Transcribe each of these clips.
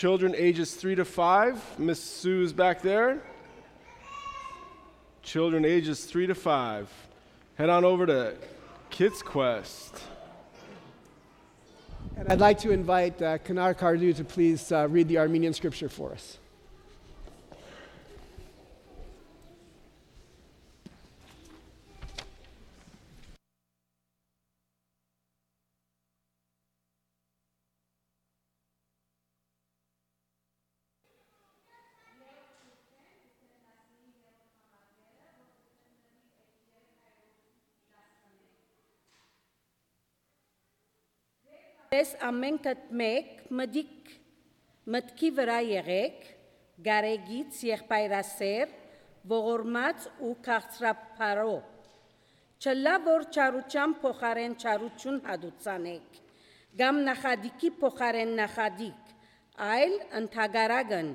children ages 3 to 5. Miss Sue's back there. Children ages 3 to 5. Head on over to Kids Quest. And I'd like to invite Kanar Kardu to please read the Armenian scripture for us. Ես ամենքդ մեկ մտքի վրա եղեք, գարեգից եղբայրասեր, ողորմած ու քաղցրափարո, չլա որ չարության փոխարեն չարություն հադուցանեք, գամ նախադիկի փոխարեն նախադիկ, այլ ընդհակառակն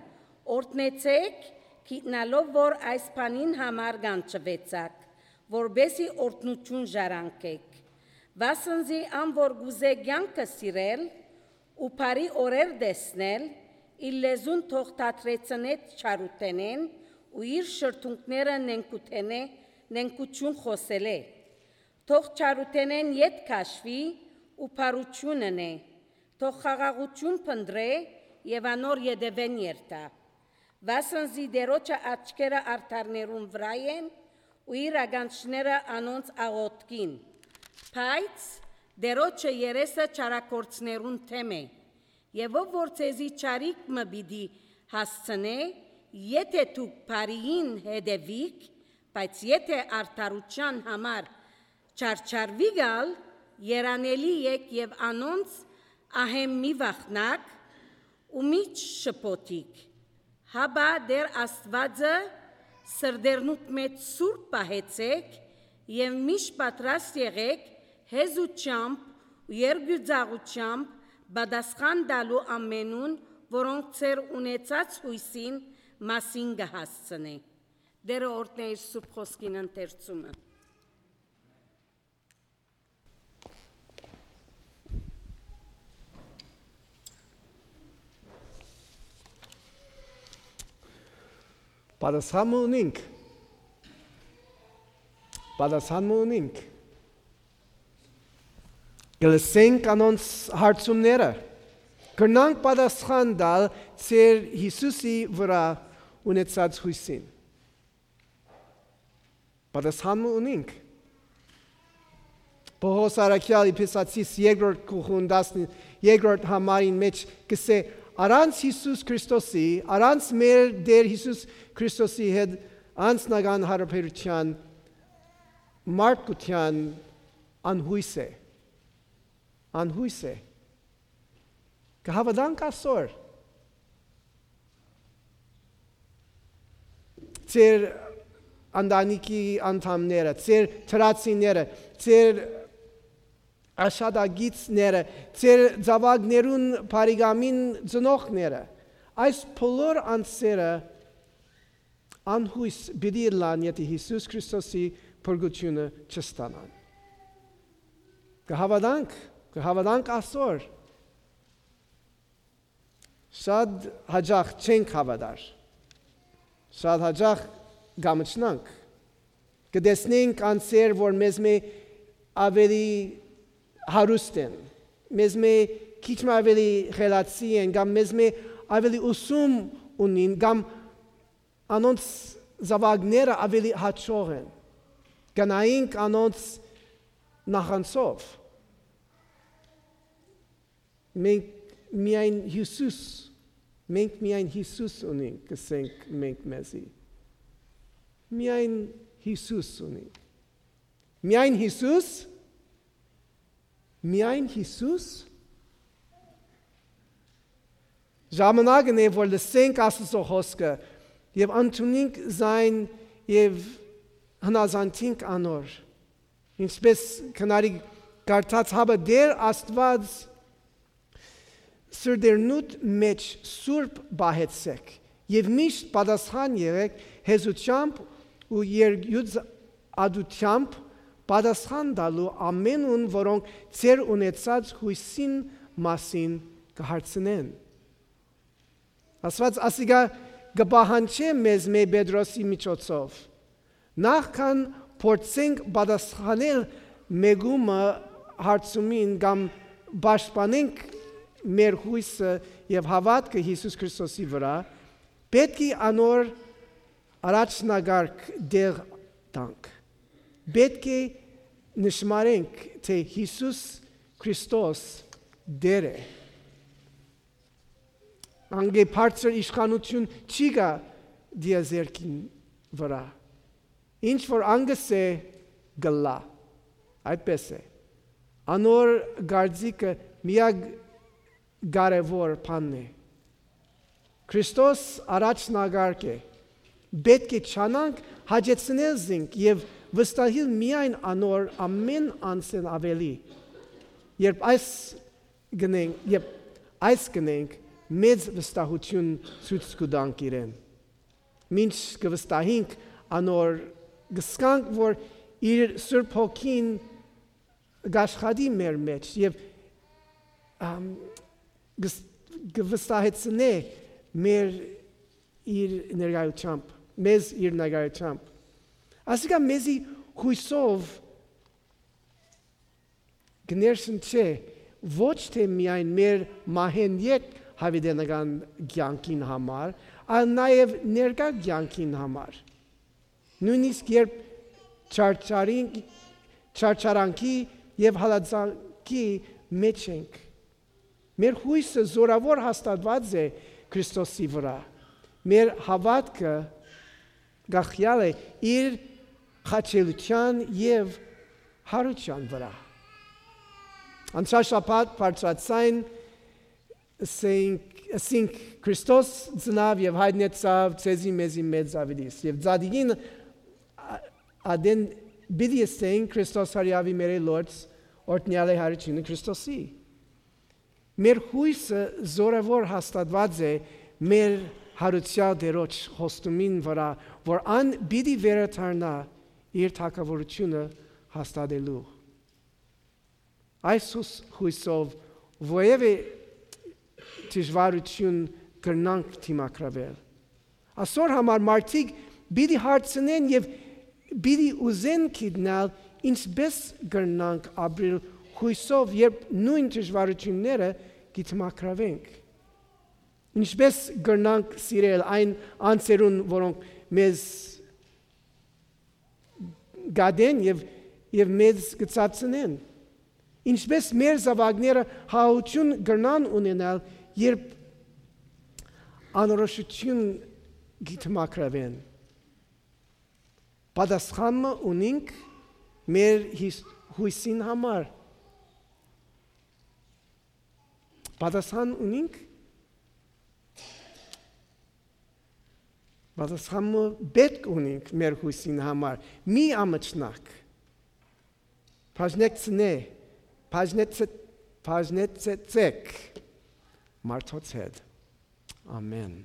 օրհնեցեք, գիտնալով որ այս բանին համար կանչվեցաք, որբեսի օրհնություն ժառանգեք. Վասնզի ան որ գուզե կյանքը սիրել ու բարի օրեր տեսնել, իր լեզուն թող թատրեցնեց չարութենեն ու իր շրթունքները նենկություն խոսել է, թող չարութենեն ետ քաշվի ու բարությունն է, թող խաղաղություն փնտրե եւ անոր յետևեն երթա, վասնզի դերոջը աչքերը արդարներուն վրա են ու իր ագանչները անոնց աղոտքին, Բայց դերոջը երեսը չարակորցներուն թեմ է, եւ ով որ ցեզի չարիք մը բիդի հասցնե, եթե դուք բարիին հետևիք, բայց եթե արդարության համար չարչարվի գալ, երանելի եք եւ անոնց ահեմ մի վախնակ ու մի շփոթիկ, հաբա դեր Աստվածը սրդերնուտ մեծ սուրբ պահեցեք եւ միշտ պատրաստ եղեք հեզությամբ ու երգյուծաղությամբ բադասխան դալու ամենուն, որոնք ծեր ունեցած հույսին մասին կհասցնե։ Դերը օրհնե իր սուրբ խոսքին ընթերցումը։ Պատասխան ունենք։ Գլսենք անոնց հարցումները, կրնանք պատասխան դալ ծեր Հիսուսի վրա ունեցած հույսին։ Պատասխան ունենք։ Պողոս առաքյալ Եփեսացիս 2-րդ գլխուն 12-րդ համարին մեջ կսե առանց Հիսուս Քրիստոսի, առանց մեր Տեր Հիսուս Քրիստոսի հետ անձնական հարաբերության մարդկության անհույս է։ Կհավատանք այսօր ծեր ընտանիքի անդամները, ծեր թրացիները, ծեր աշադագիցները, ծեր զավակներուն բարիգամին ծնողները, այս բոլոր անձերը անհույս պիտի լան, եթե Հիսուս Քրիստոսի փրկությունը չստանան։ Կհավատանք այսօր։ Շատ հաճախ չենք հավատար։ Շատ հաճախ գամչնանք։ Կտեսնենք անձեր, որ մեզ մե ավելի հարուստ են, մեզ մե քիչ ավելի խելացի են, կամ մեզ մե ավելի ուսում ունին, կամ անոնց զավակները ավելի հաճող են։ Գնայինք անոնց նախանցով։ Մենք միայն Հիսուս ունենք, կսենք մենք մեզի։ Միայն Հիսուս ունենք։ Միայն Հիսուս։ Ժամանակն է, որ լսենք Աստծո խոսքը եւ ընդունենք զայն եւ հնազանդենք անոր։ Ինչպես քնարի կարդաց հաբը դեր Աստված սրդերնուտ մեջ սուրբ բահեցեք եւ միշտ պատասխան եղեք հեզությամբ ու երգյուծադությամբ պատասխան տալու ամենուն, որոնք ձեր ունեցած հույսին մասին կհարցնեն։ Աստված ասիգա գբահանչե մեզ մեր Պետրոսի միջոցով։ Նախքան փորձենք պատասխանել մեգումը հարցումին կամ պաշտպանենք մեր հույսը եւ հավատքը Հիսուս Քրիստոսի վրա, պետք է անոր առաջնագարկ դեղ տանք։ Պետք է նշմարենք, թե Հիսուս Քրիստոս դեր է։ Անգե բարձր իշխանություն չի գա դիազերքին վրա։ Ինչ որ անգս է գլա, այդպես է։ Անոր գարձիկը միակ կարևոր բանն է։ Քրիստոս առաջնագարկ է։ Պետք է չանանք հաջեցնել զինք եւ վստահել միայն անոր ամեն անսեն ավելի։ Երբ այս գնենք մեծ վստահություն ցույց կտանք իրեն։ Մինչ կվստահենք անոր գսկանք, որ իր Սուրբ Հոգին գաշխատի մեր մեջ եւ կվստահեցնե մեր իր ներկայությամբ, մեզ իր ներկայությամբ։ Ասիկա մեզի հույսով գներշնչե ոչ թե միայն մեր մահենյետ հավիտենական կյանքին համար, այլ նաև ներկա կյանքին համար։ Նույնիսկ երբ չարչարանքի եւ հալածանքի մեջ ենք, մեր հույսը զորավոր հաստատված է Քրիստոսի վրա։ Մեր հավատքը գախյալ է իր խաչելության եւ հարության վրա։ Անցյալ շաբաթ բարձրացան ասինք Քրիստոս ծնավ եւ հայտնեցավ ցեզի մեզի մեծ ավիլիս եւ ծադիգին ադեն բիդի ասենք Քրիստոս հարյավի մեր Լորդ օրտնյալ է հարությունը Քրիստոսի։ Մեր հույսը զորավոր հաստատված է մեր հարության դերոջ խոստումին վրա, որ ան բիդի վերադառնա իր թակավորությունը հաստատելու։ Այս հույսով ովևէ դժվարություն կրնանք դիմակրավել։ Այսօր համար մարդիկ բիդի հարցնեն եւ բիդի ուզեն գիտնալ ինչպես կրնանք ապրել հույսով, երբ նույն դժվարությունները դիմակրավենք։ Ինչպես կրնանք սիրել այն անձերուն, որոնք մեզ գադեն եւ մեզ կծածնեն։ Ինչպես մեր զավակները հաություն կրնան ունենալ, երբ անորոշություն գիտմակրավեն։ Պատասխանը ունենք մեր հույսին համար։ Պատասխան ունենք։ Պատասխանը պետք ունենք մեր հույսին համար։ Մի ամաչնակ։ Բաժնեցեք մարդոց հետ։ Ամեն։